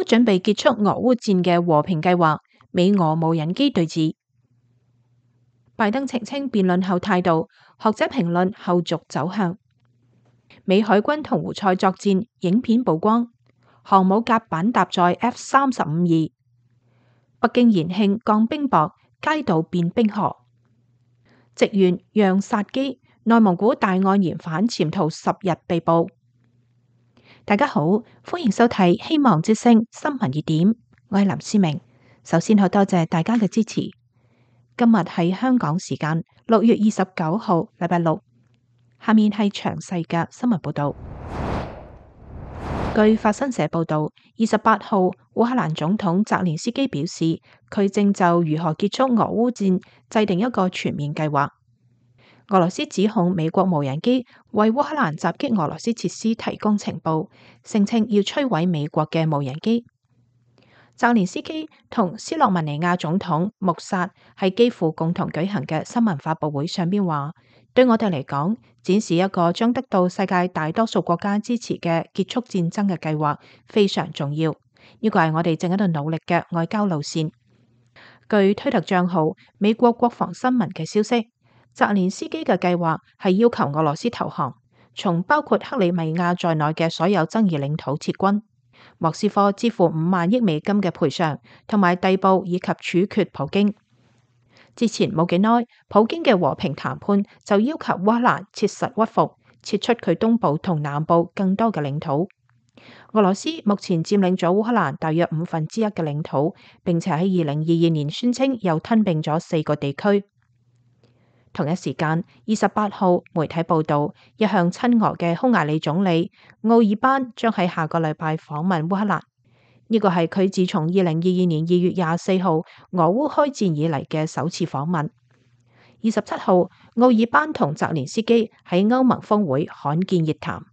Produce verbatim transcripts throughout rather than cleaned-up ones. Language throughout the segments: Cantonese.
準備結束俄烏戰嘅和平計劃，美俄無人機對峙。拜登澄清辯論後態度，學者評論後續走向。美海軍同胡塞作戰影片曝光，航母甲板搭載 F 三十五 E。北京延慶降冰雹，街道變冰河。職員讓殺機，內蒙古大案嫌犯潛逃十日被捕。大家好，歡迎收睇希望之聲新聞熱點，我係林思明。首先好多謝大家嘅支持。今日係香港時間六月二十九號，禮拜六。下面係詳細嘅新聞報道。據法新社報道，二十八號烏克蘭總統澤連斯基表示，佢正就如何結束俄烏戰制定一個全面計劃。俄羅斯指控美國無人機為烏克蘭襲擊俄羅斯設施提供情報，聲稱要摧毀美國嘅無人機。澤連斯基同斯洛文尼亞總統穆薩喺基輔共同舉行嘅新聞發佈會上邊話，對我哋嚟講，展示一個將得到世界大多數國家支持嘅結束戰爭嘅計劃非常重要。呢個係我哋正喺度努力嘅外交路線。據推特賬號美國國防新聞嘅消息，澤連斯基嘅計劃係要求俄羅斯投降，從包括克里米亞在內嘅所有爭議領土撤軍。莫斯科支付五萬億美金嘅賠償，同埋逮捕以及處決普京。之前冇幾耐，普京嘅和平談判就要求烏克蘭切實屈服，撤出佢東部同南部更多嘅領土。俄羅斯目前佔領咗烏克蘭大約五分之一嘅領土，並且喺二零二二年宣稱又吞併咗四個地區。同一時間，二十八號媒體報道，一向親俄嘅匈牙利總理奧爾班將喺下個禮拜訪問烏克蘭。呢個係佢自從二零二二年二月廿四號俄烏開戰以嚟嘅首次訪問。二十七號，奧爾班同澤連斯基喺歐盟峰會罕見熱談，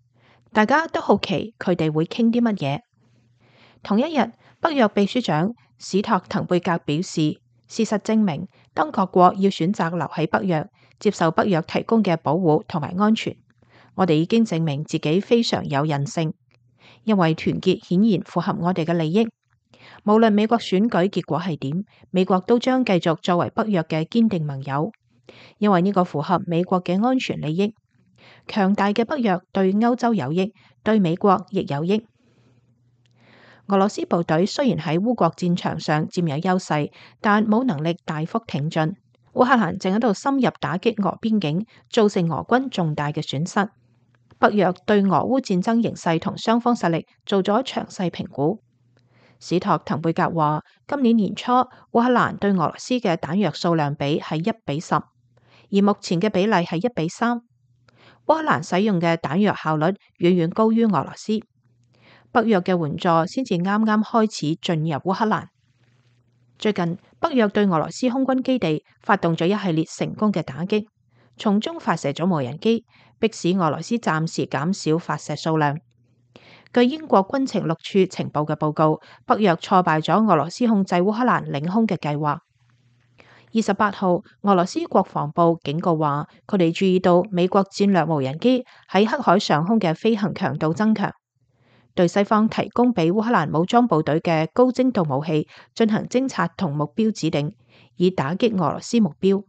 大家都好奇佢哋會傾啲乜嘢。同一日，北約秘書長史托滕貝格表示，事實證明，當各國要選擇留喺北約，接受北約提供嘅保護同埋安全，我哋已經證明自己非常有韌性，因為團結顯然符合我哋嘅利益。無論美國選舉結果係點，美國都將繼續作為北約嘅堅定盟友，因為呢個符合美國嘅安全利益。強大嘅北約對歐洲有益，對美國亦有益。俄羅斯部隊雖然喺烏國戰場上佔有優勢，但冇能力大幅挺進。烏克蘭正喺度深入打擊俄邊境，造成俄軍重大嘅損失。北約對俄烏戰爭形勢同雙方實力做咗詳細評估。史托滕貝格話，今年年初烏克蘭對俄羅斯嘅彈藥數量比係一比十，而目前嘅比例係一比三。烏克蘭使用嘅彈藥效率遠遠高於俄羅斯。北約嘅援助先至啱啱開始進入烏克蘭。最近，北約對俄羅斯空軍基地發動咗一系列成功嘅打擊，從中發射咗無人機，迫使俄羅斯暫時減少發射數量。據英國軍情六處情報嘅報告，北約挫敗咗俄羅斯控制烏克蘭領空嘅計劃。二十八號，俄羅斯國防部警告話，佢哋注意到美國戰略無人機喺黑海上空嘅飛行強度增強。對西方提供俾烏克蘭武裝部隊嘅高精度武器進行偵察同目標指定，以打擊俄羅斯目標。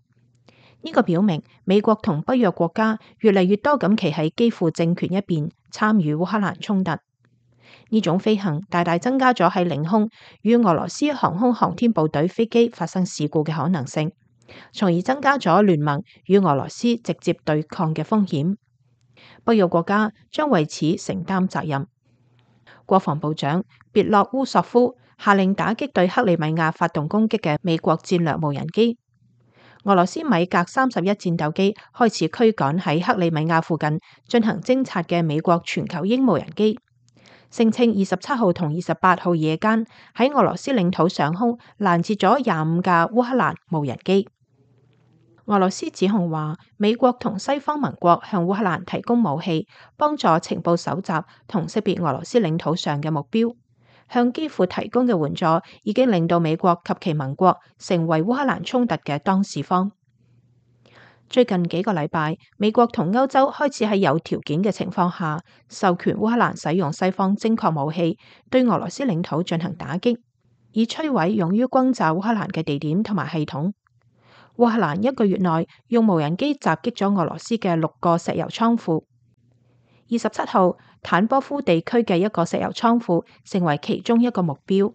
呢個表明美國同北約國家越嚟越多咁企喺基輔政權一邊，參與烏克蘭衝突。呢種飛行大大增加咗喺領空與俄羅斯航空航天部隊飛機發生事故嘅可能性，從而增加咗聯盟與俄羅斯直接對抗嘅風險。北約國家將為此承擔責任。國防部長別洛烏索夫下令打擊對克里米亞發動攻擊嘅美國戰略無人機。俄羅斯米格三十一戰鬥機開始驅趕喺克里米亞附近進行偵察嘅美國全球鷹無人機，聲稱二十七號同二十八號夜間喺俄羅斯領土上空攔截咗廿五架烏克蘭無人機。俄羅斯指控話，美國同西方盟國向烏克蘭提供武器，幫助情報搜集同識別俄羅斯領土上嘅目標。向基輔提供嘅援助已經令到美國及其盟國成為烏克蘭衝突嘅當事方。最近幾個禮拜，美國同歐洲開始喺有條件嘅情況下，授權烏克蘭使用西方精確武器對俄羅斯領土進行打擊，以摧毀用於轟炸烏克蘭嘅地點同埋系統。烏克蘭一個月內用無人機襲擊咗俄羅斯嘅六個石油倉庫。二十七號，坦波夫地區嘅一個石油倉庫成為其中一個目標。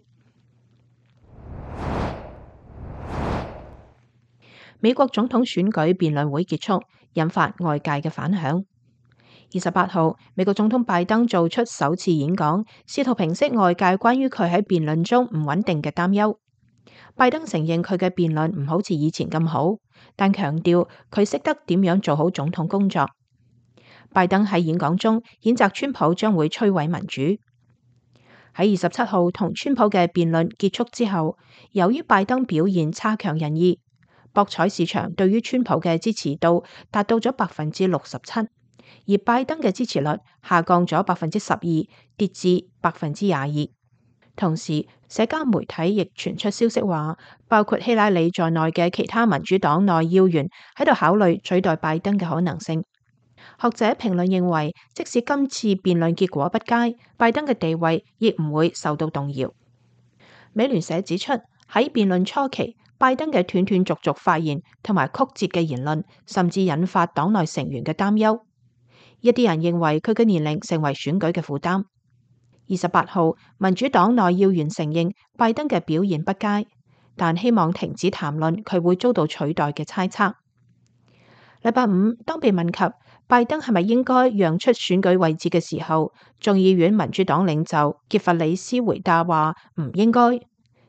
美國總統選舉辯論會結束，引發外界嘅反響。二十八號，美國總統拜登做出首次演講，試圖平息外界關於佢喺辯論中唔穩定嘅擔憂。拜登承認佢嘅辯論唔好似以前咁好，但強調佢識得點樣做好總統工作。拜登喺演講中譴責川普將會摧毀民主。喺二十七號同川普嘅辯論結束之後，由於拜登表現差強人意，博彩市場對於川普嘅支持度達到咗百分之六十七，而拜登嘅支持率下降咗百分之十二，跌至百分之廿二。同時，社交媒體亦傳出消息話，包括希拉里在內嘅其他民主黨內要員喺度考慮取代拜登嘅可能性。學者評論認為，即使今次辯論結果不佳，拜登嘅地位亦唔會受到動搖。美聯社指出，喺辯論初期，拜登嘅斷斷續續發言同埋曲折嘅言論，甚至引發黨內成員嘅擔憂。一啲人認為佢嘅年齡成為選舉嘅負擔。二十八號，民主黨內要員承認拜登嘅表現不佳，但希望停止談論佢會遭到取代嘅猜測。禮拜五，當被問及拜登係咪應該讓出選舉位置嘅時候，眾議院民主黨領袖傑弗里斯回答話唔應該，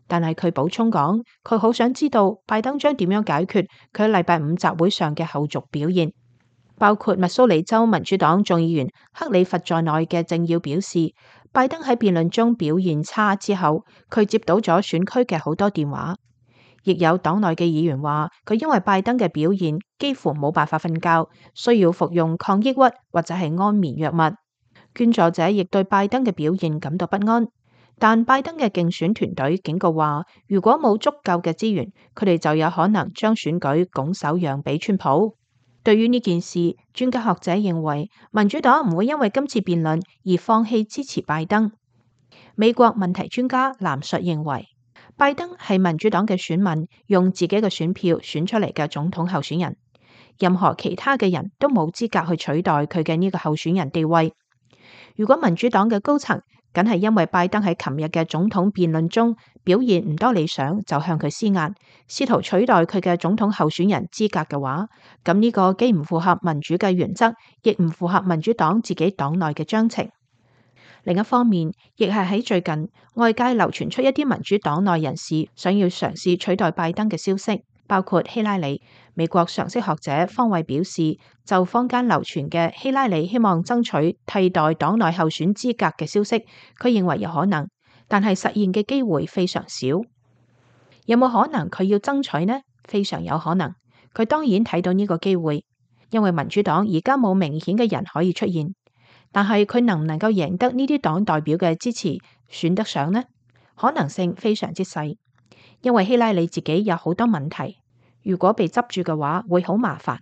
但係佢補充講，佢好想知道拜登將點樣解決佢喺禮拜五集會上嘅後續表現。包括密蘇里州民主黨眾議員克里弗在內嘅政要表示，拜登喺辯論中表現差之後，佢接到咗選區嘅好多電話。亦有黨內嘅議員話，佢因為拜登嘅表現幾乎冇辦法瞓覺，需要服用抗抑鬱或者係安眠藥物。捐助者亦對拜登嘅表現感到不安，但拜登嘅競選團隊警告話，如果冇足夠嘅資源，佢哋就有可能將選舉拱手讓俾川普。對於呢件事，專家學者認為民主黨唔會因為今次辯論而放棄支持拜登。美國問題專家藍述認為，拜登係民主黨嘅選民用自己嘅選票選出嚟嘅總統候選人，任何其他嘅人都冇資格去取代佢嘅呢個候選人地位。如果民主黨嘅高層僅係因為拜登喺琴日嘅總統辯論中表現唔多理想，就向佢施壓，試圖取代佢嘅總統候選人資格嘅話，咁呢個既唔符合民主嘅原則，亦唔符合民主黨自己黨內嘅章程。另一方面，亦係喺最近外界流傳出一啲民主黨內人士想要嘗試取代拜登嘅消息，包括希拉里。美國常識學者方慧表示，就坊間流傳嘅希拉里希望爭取替代黨內候選資格嘅消息，佢認為有可能，但係實現嘅機會非常少。有冇可能佢要爭取呢？非常有可能。佢當然睇到呢個機會，因為民主黨而家冇明顯嘅人可以出現。但係佢能唔能夠贏得呢啲黨代表嘅支持，選得上呢？可能性非常之細，因為希拉里自己有好多問題，如果被執住嘅話會好麻煩。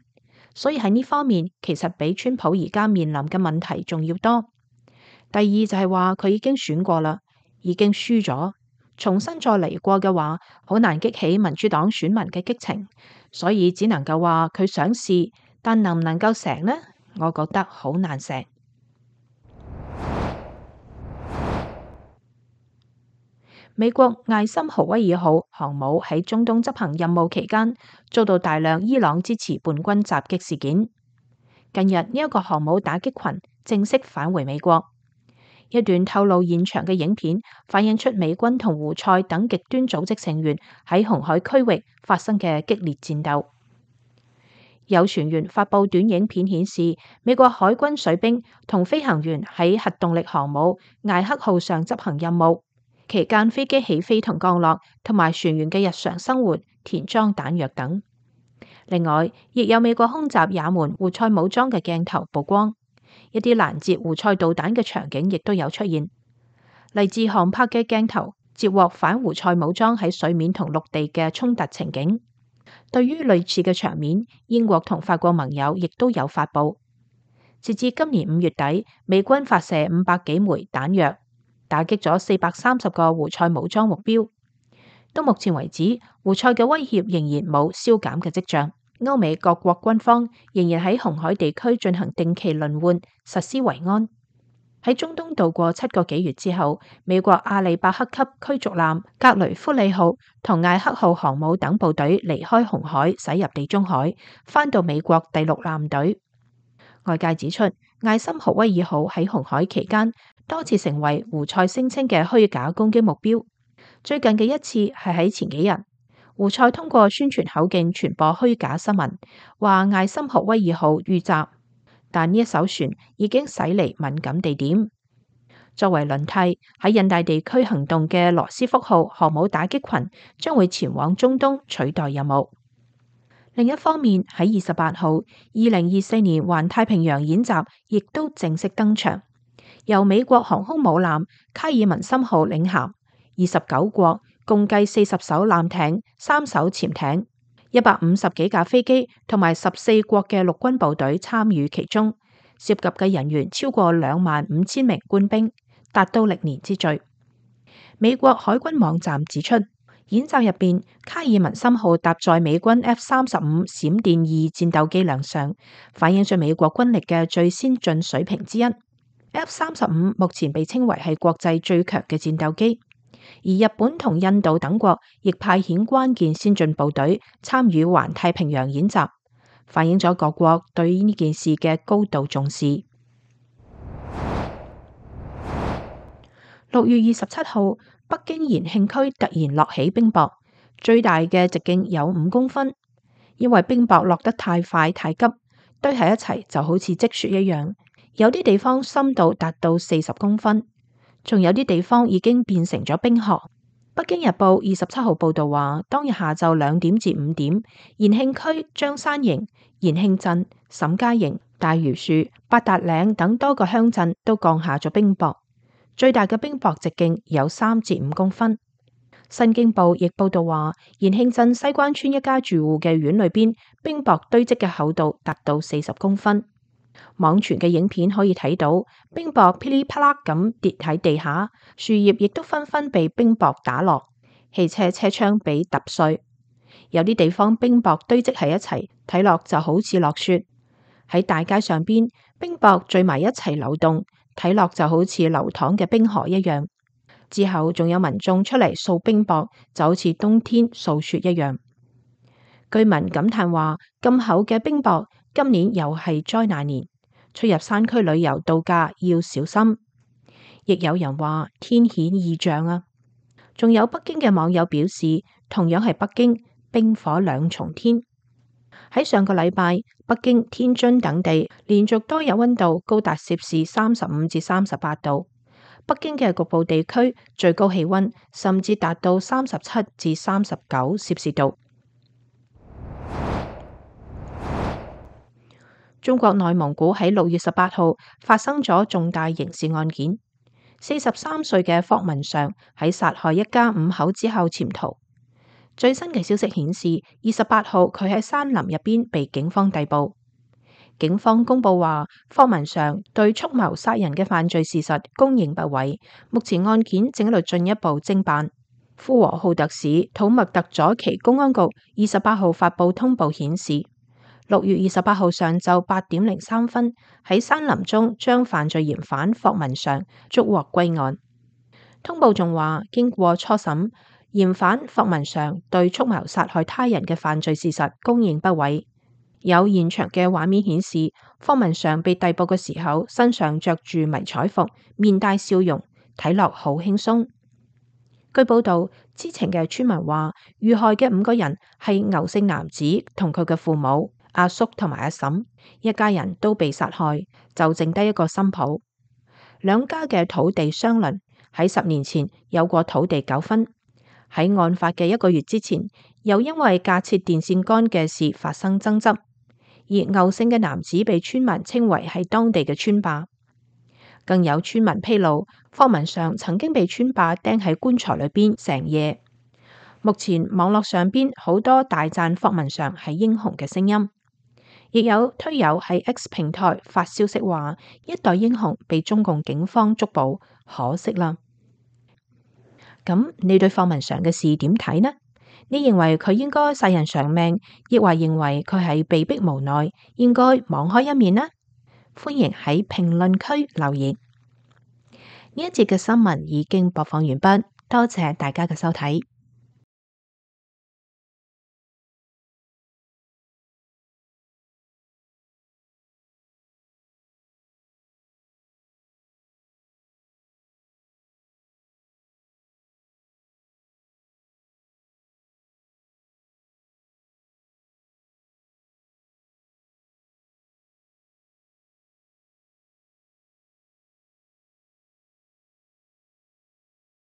所以喺呢方面，其實比川普而家面臨嘅問題仲要多。第二就係話佢已經選過啦，已經輸咗，重新再嚟過嘅話，好難激起民主黨選民嘅激情，所以只能夠話佢想試，但能唔能夠成呢？我覺得好難成。美國艾森豪威爾號航母喺中東執行任務期間，遭到大量伊朗支持叛軍襲擊事件。近日呢一個航母打擊群正式返回美國。一段透露現場嘅影片反映出美軍同胡塞等極端組織成員喺紅海區域發生嘅激烈戰鬥。有船員發布短影片顯示，美國海軍水兵同飛行員喺核動力航母艾克號上執行任務。期間飛機起飛同降落，同埋船員嘅日常生活、填裝彈藥等。另外，亦有美國空襲也門胡塞武裝嘅鏡頭曝光，一啲攔截胡塞導彈嘅場景亦都有出現。嚟自航拍嘅鏡頭截獲反胡塞武裝喺水面同陸地嘅衝突情景。對於類似嘅場面，英國同法國盟友亦都有發布。截至今年五月底，美軍發射五百幾枚彈藥，打擊咗四百三十個胡塞武裝目標。到目前為止，胡塞嘅威脅仍然冇消減嘅跡象。歐美各國軍方仍然喺紅海地區進行定期輪換，實施維安。喺中東度過七個幾月之後，美國阿里伯克級驅逐艦格雷夫里號同艾克號航母等部隊離開紅海，駛入地中海，返到美國第六艦隊。外界指出，艾森豪威爾號喺紅海期間多次成為胡塞聲稱嘅虛假攻擊目標。最近嘅一次係喺前幾日，胡塞通過宣傳口徑傳播虛假新聞，話艾森豪威爾號遇襲，但呢一艘船已經駛離敏感地點。作為輪替，喺印大地區行動嘅羅斯福號航母打擊群將會前往中東取代任務。另一方面，喺二十八號，二零二四年環太平洋演習亦都正式登場，由美國航空母艦卡爾文森號領銜，二十九國共計四十艘艦艇、三艘潛艇、一百五十幾架飛機同埋十四國嘅陸軍部隊參與其中，涉及嘅人員超過兩萬五千名官兵，達到歷年之最。美國海軍網站指出，演習入邊，卡爾文森號搭載美軍 F 三十五閃電二戰鬥機亮相，反映咗美國軍力嘅最先進水平之一。F 三十五目前被稱為係國際最強嘅戰鬥機，而日本同印度等國亦派遣關鍵先進部隊參與環太平洋演習，反映咗各國對呢件事嘅高度重視。六月二十七號，北京延慶區突然落起冰雹，最大嘅直徑有五公分。因為冰雹落得太快太急，堆喺一齊就好似積雪一樣。有啲地方深度達到四十公分，仲有啲地方已經變成咗冰河。北京日報二十七號報道話，當日下晝兩點至五點，延慶區張山營、延慶鎮、沈家營、大榆樹、八達嶺等多個鄉鎮都降下咗冰雹。最大嘅冰雹直徑有三至五公分。新京報亦報道話，延慶鎮西關村一家住戶嘅院裏邊，冰雹堆積嘅厚度達到四十公分。網傳嘅影片可以睇到，冰雹噼里啪啦咁跌喺地下，樹葉亦都紛紛被冰雹打落，汽車車窗被揼碎。有啲地方冰雹堆積喺一齊，睇落就好似落雪。喺大街上邊，冰雹聚埋一齊流動，睇落就好似流淌嘅冰河一樣。之後仲有民眾出嚟掃冰雹，就好似冬天掃雪一樣。居民感嘆話：咁厚嘅冰雹，今年又係災難年，出入山區旅遊度假要小心。亦有人話天顯異象啊！仲有北京嘅網友表示，同樣係北京，冰火兩重天。喺上個禮拜，北京、天津等地連續多日溫度高達攝氏三十五至三十八度。北京嘅局部地區最高氣溫甚至達到三十七至三十九攝氏度。中國內蒙古喺六月十八號發生咗重大刑事案件，四十三歲嘅霍文常喺殺害一家五口之後潛逃。最新嘅消息顯示，二十八號佢喺山林入邊被警方逮捕。警方公布話，霍文常對蓄謀殺人嘅犯罪事實供認不諱，目前案件正喺度進一步偵辦。呼和浩特市土默特左旗公安局二十八號發布通報顯示，六月二十八號上晝八點零三分喺山林中將犯罪嫌犯霍文常捉獲歸案。通報仲話，經過初審，嫌犯霍文常對蓄謀殺害他人嘅犯罪事實供認不諱。有現場嘅畫面顯示，霍文常被逮捕嘅時候，身上着住迷彩服，面帶笑容，睇落好輕鬆。據報道，知情嘅村民話，遇害嘅五個人係牛姓男子同佢嘅父母、阿叔同埋阿嬸，一家人都被殺害，就剩低一個新抱。兩家嘅土地相鄰，喺十年前有過土地糾紛。喺案發嘅一個月之前，又因為架設電線桿嘅事發生爭執。而牛姓嘅男子被村民稱為係當地嘅村霸，更有村民披露，霍文常曾經被村霸釘喺棺材裏邊成夜。目前網絡上邊好多大讚霍文常係英雄嘅聲音，亦有推友喺 X 平台發消息話一代英雄被中共警方捉捕，可惜啦。咁你對霍文常嘅事點睇呢？你認為佢應該殺人償命，亦或認為佢係被逼無奈，應該網開一面呢？歡迎喺評論區留言。呢一節嘅新聞已經播放完畢，多謝大家嘅收睇。